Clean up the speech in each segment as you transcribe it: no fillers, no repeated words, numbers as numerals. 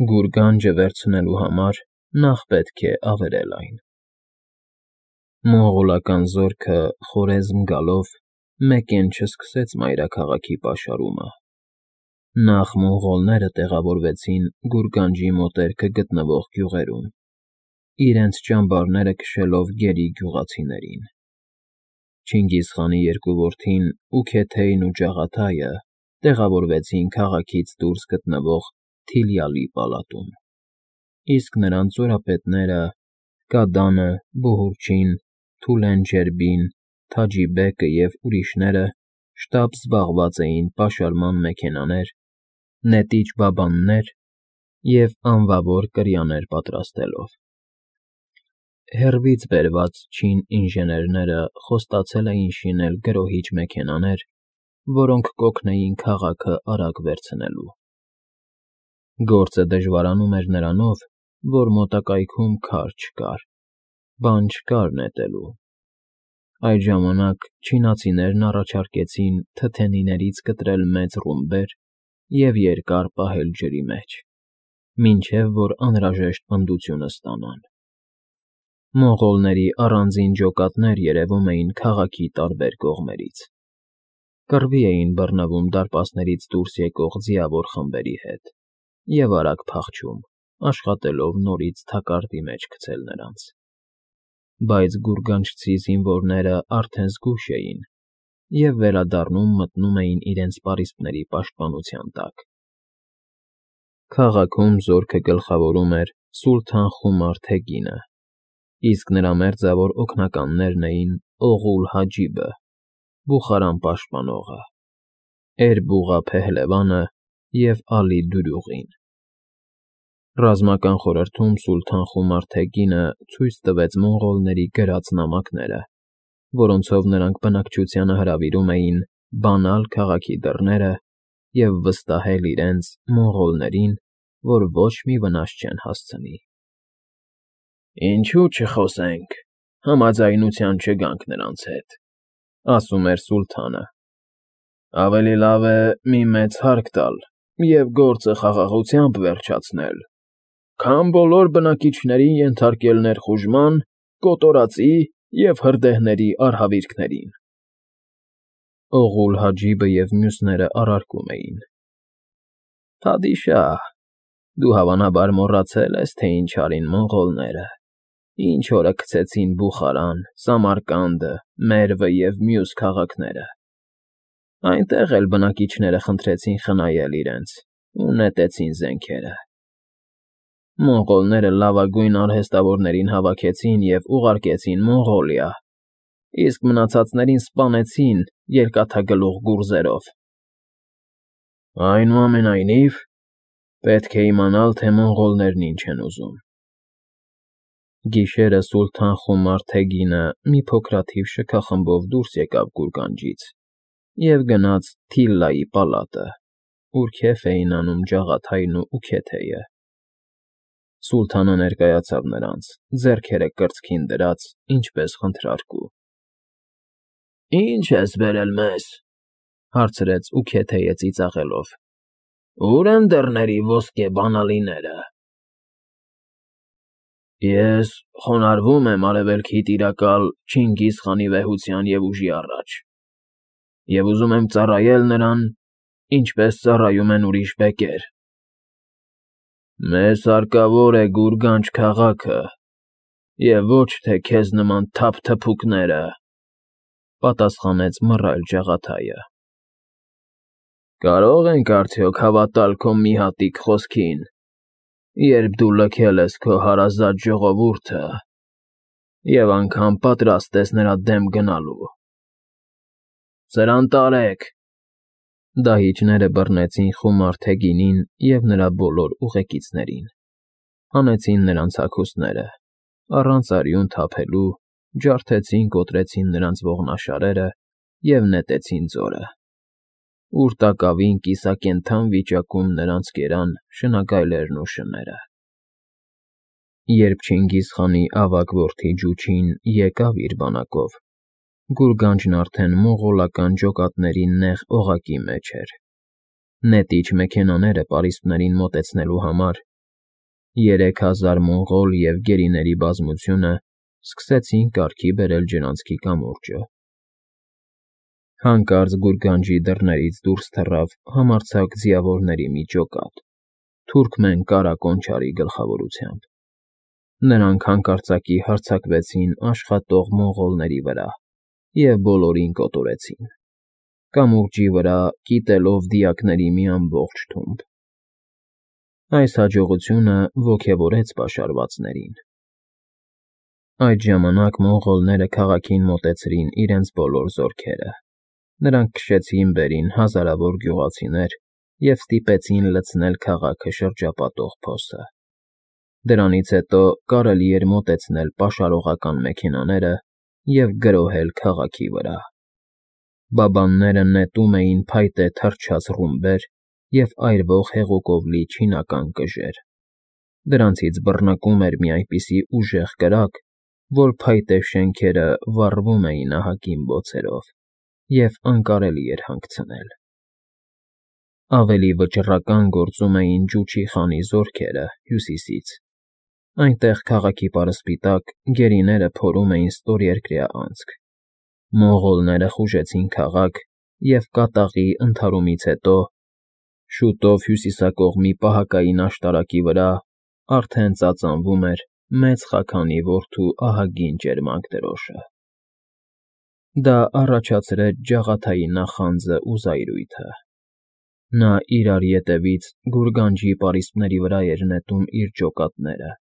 Գուրգանջը վերցնելու համար նախ պետք է ավերել այն։ Մոնղոլական զորքը Խորեզմ գալով մեկեն չսկսեց մայրաքաղաքի պաշարումը։ Նախ մոնղոլները տեղավորվեցին Գուրգանջի մոտերքը գտնվող գյուղերում, իրենց ճամբարները քշելով գերի գյուղացիներին։ Չինգիզխանի երկու որդին Ուքեթեյն ու Ջաղաթայը տեղավորվեցին քաղաքից դուրս գտնվող Թիլյալի պալատում, իսկ նրանց զորապետները՝ Կադանը, Բուհուրչին, Թուլենջերբին, Թաջիբեկը և ուրիշները շտապ զբաղված էին պաշարման մեքենաներ, նետիչ բաբաններ և անվավոր կրիաներ պատրաստելով։ Հեռվից բերված չին ինժեներները խոստացել էին շինել գրոհիչ մեքենաներ, որոնք կօգնեին քաղաքը արագ վերցնելու։ Գործը դժվարանում էր նրանով, որ մոտակայքում քար չկար, բան չկար նետելու։ Այդ ժամանակ չինացիներն առաջարկեցին թթենիներից կտրել մեծ ռումբեր և երկար պահել ջրի մեջ, մինչև որ անհրաժեշտ պնդությունը ստանան։ Մոնղոլների առանձին ջոկատներ երևում էին քաղաքի տարբեր կողմերից։ Կռվի էին բռնվում դարպասներից դուրս եկող ձիավոր խմբերի հետ և արագ փախչում, աշխատելով նորից թակարդի մեջ գցել նրանց։ Բայց գուրգանջցի զինվորները արդեն զգույշ էին և վերադառնում մտնում էին իրենց պարիսպների պաշտպանության տակ։ Քաղաքում զորքը գլխավորում էր Սուլթան Խումար Թեգինը, իսկ նրա մերձավոր օգնականներն էին Օղուլ Հաջիբը, Բուխարան պաշտպանողը, Էրբուղա Փեհլևանը և Ալի Դուրուղին։ Ռազմական խորհրդում Սուլթան Խումար Թեգինը ցույց տվեց մոնղոլների գրած նամակները, որոնցով նրանք բնակչությանը հրավիրում էին բանալ քաղաքի դռները և վստահել իրենց՝ մոնղոլներին, որ ոչ մի վնաս չեն հասցնի։ «Ինչու չխոսենք, համաձայնության չգանք նրանց հետ», ֊ ասում էր սուլթանը։ «Ավելի լավ է մի մեծ հարկ տալ և գործը խաղաղությամբ վերջացնել, քան բոլոր բնակիչներին ենթարկել ներխուժման, կոտորածի և հրդեհների արհավիրքներին»։ Օղուլ Հաջիբը և մյուսները առարկում էին. «Փադիշահ, դու հավանաբար մոռացել ես, թե ինչ արին մոնղոլները, ինչ օրը քցեցին Բուխարան, Սամարկանդը, Մերվը և մյուս քաղաքները։ Այնտեղ էլ բնակիչները խնդրեցին խնայել իրենց ու նետեցին զենքերը։ Մոնղոլները լավագույն արհեստավորներին հավաքեցին և ուղարկեցին Մոնղոլիա, իսկ մնացածներին սպանեցին երկաթագլուխ գուրզերով։ Այնուամենայնիվ, պետք է իմանալ, թե մոնղոլներն ինչ են ուզում»։ Գիշերը Սուլթան Խումար Թեգինը մի փոքրաթիվ շքախմբով դուրս եկավ Գուրգանջից և գնաց Թիլլայի պալատը, ուր քեֆ էին անում Ջաղաթայն ու Ուքեթեյը։ Սուլթանը ներկայացավ նրանց, ձեռքերը կրծքին դրած, ինչպես խնդրարկու։ «Ի՞նչ ես բերել մեզ», ֊ հարցրեց Ուքեթեյը ծիծաղելով։ «Ո՞ւր են դռների ոսկե բանալիները»։ «Ես խոնարհվում եմ Արևելքի տիրակալ Չինգիզ խանի վեհության և ուժի առաջ և ուզում եմ ծառայել նրան, ինչպես ծառայում են ուրիշ բեկեր։ Մեզ հարկավոր է Գուրգանջ քաղաքը և ոչ թե քեզ նման թափթփուկները», ֊ պատասխանեց մռայլ Ջաղաթայը։ «Կարո՞ղ ենք արդյոք հավատալ քո մի հատիկ խոսքին, երբ դու լքել ես քո հարազատ ժողովուրդը և անգամ պատրաստ ես նրա դեմ գնալու։ Սրան տարեք»։ Դահիճները բռնեցին Խումար Թեգինին և նրա բոլոր ուղեկիցներին, հանեցին նրանց հագուստները, առանց արյուն թափելու ջարդեցին֊կոտրեցին նրանց ողնաշարերը և նետեցին ձորը, ուր տակավին կիսակենդան վիճակում նրանց կերան շնագայլերն ու շները։ Երբ Չինգիզխանի ավագ որդի Ջուչին եկավ իր բանակով, Գուրգանջն արդեն մոնղոլական ջոկատների նեղ օղակի մեջ էր։ Նետիչ մեքենաները պարիսպներին մոտեցնելու համար 3000 մոնղոլ և գերիների բազմությունը սկսեցին կարգի բերել ջրանցքի կամուրջը։ Հանկարծ գուրգանջի դռներից դուրս թռավ համարձակ ձիավորների մի ջոկատ, թուրքմեն Կարա Կոնչարի գլխավորությամբ։ Նրանք հանկարծակի հարձակվեցին աշխատող մոնղոլների վրա և բոլորին կոտորեցին, կամուրջի վրա կիտելով դիակների մի ամբողջ թումբ։ Այս հաջողությունը ոգևորեց պաշարվածներին։ Այդ ժամանակ մոնղոլները քաղաքին մոտեցրին իրենց բոլոր զորքերը։ Նրանք քշեցին վերին հազարավոր գյուղացիներ և ստիպեցին լցնել քաղաքը շրջապատող փոսը։ Դրանից հետո կարելի էր մոտեցնել պաշարողական մեքենաները և գրոհել քաղաքի վրա։ Բաբանները նետում էին փայտե թռչած ռումբեր և այրվող հեղուկով լի չինական կժեր։ Դրանցից բռնկում էր մի այնպիսի ուժեղ կրակ, որ փայտե շենքերը վառվում էին ահագին բոցերով, և անկարելի էր հանգցնել։ Ավելի վճռական գործում էին Ջուչի խանի զորքերը հյուսիսից։ Այնտեղ քաղաքի պարսպիտակ գերիները փորում էին ստորերկրյա անցք։ Մոնղոլները խուժեցին քաղաք և կատաղի ընդհարումից հետո շուտով հյուսիսակողմի պահակային աշտարակի վրա արդեն ծածանվում էր Մեծ Խաքանի որդու ահագին ճերմակ դրոշը։ Դա առաջացրեց ջաղաթայի նախանձն ու զայրույթը։ Նա իրար ետևից գուրգանջի պարիսպների վրա էր նետում իր ջոկատները,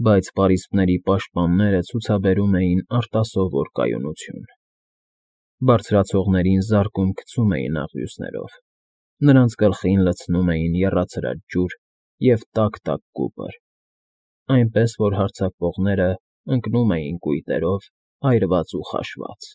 բայց պարիսպների պաշտպանները ցուցաբերում էին արտասովոր կայունություն։ Բարձրացողներին զարկում-գցում էին աղյուսներով, նրանց գլխին լցնում էին եռացրած ջուր և տաք-տաք կուպր, այնպես որ հարձակվողներն ընկնում էին կույտերով, այրված ու խաշված։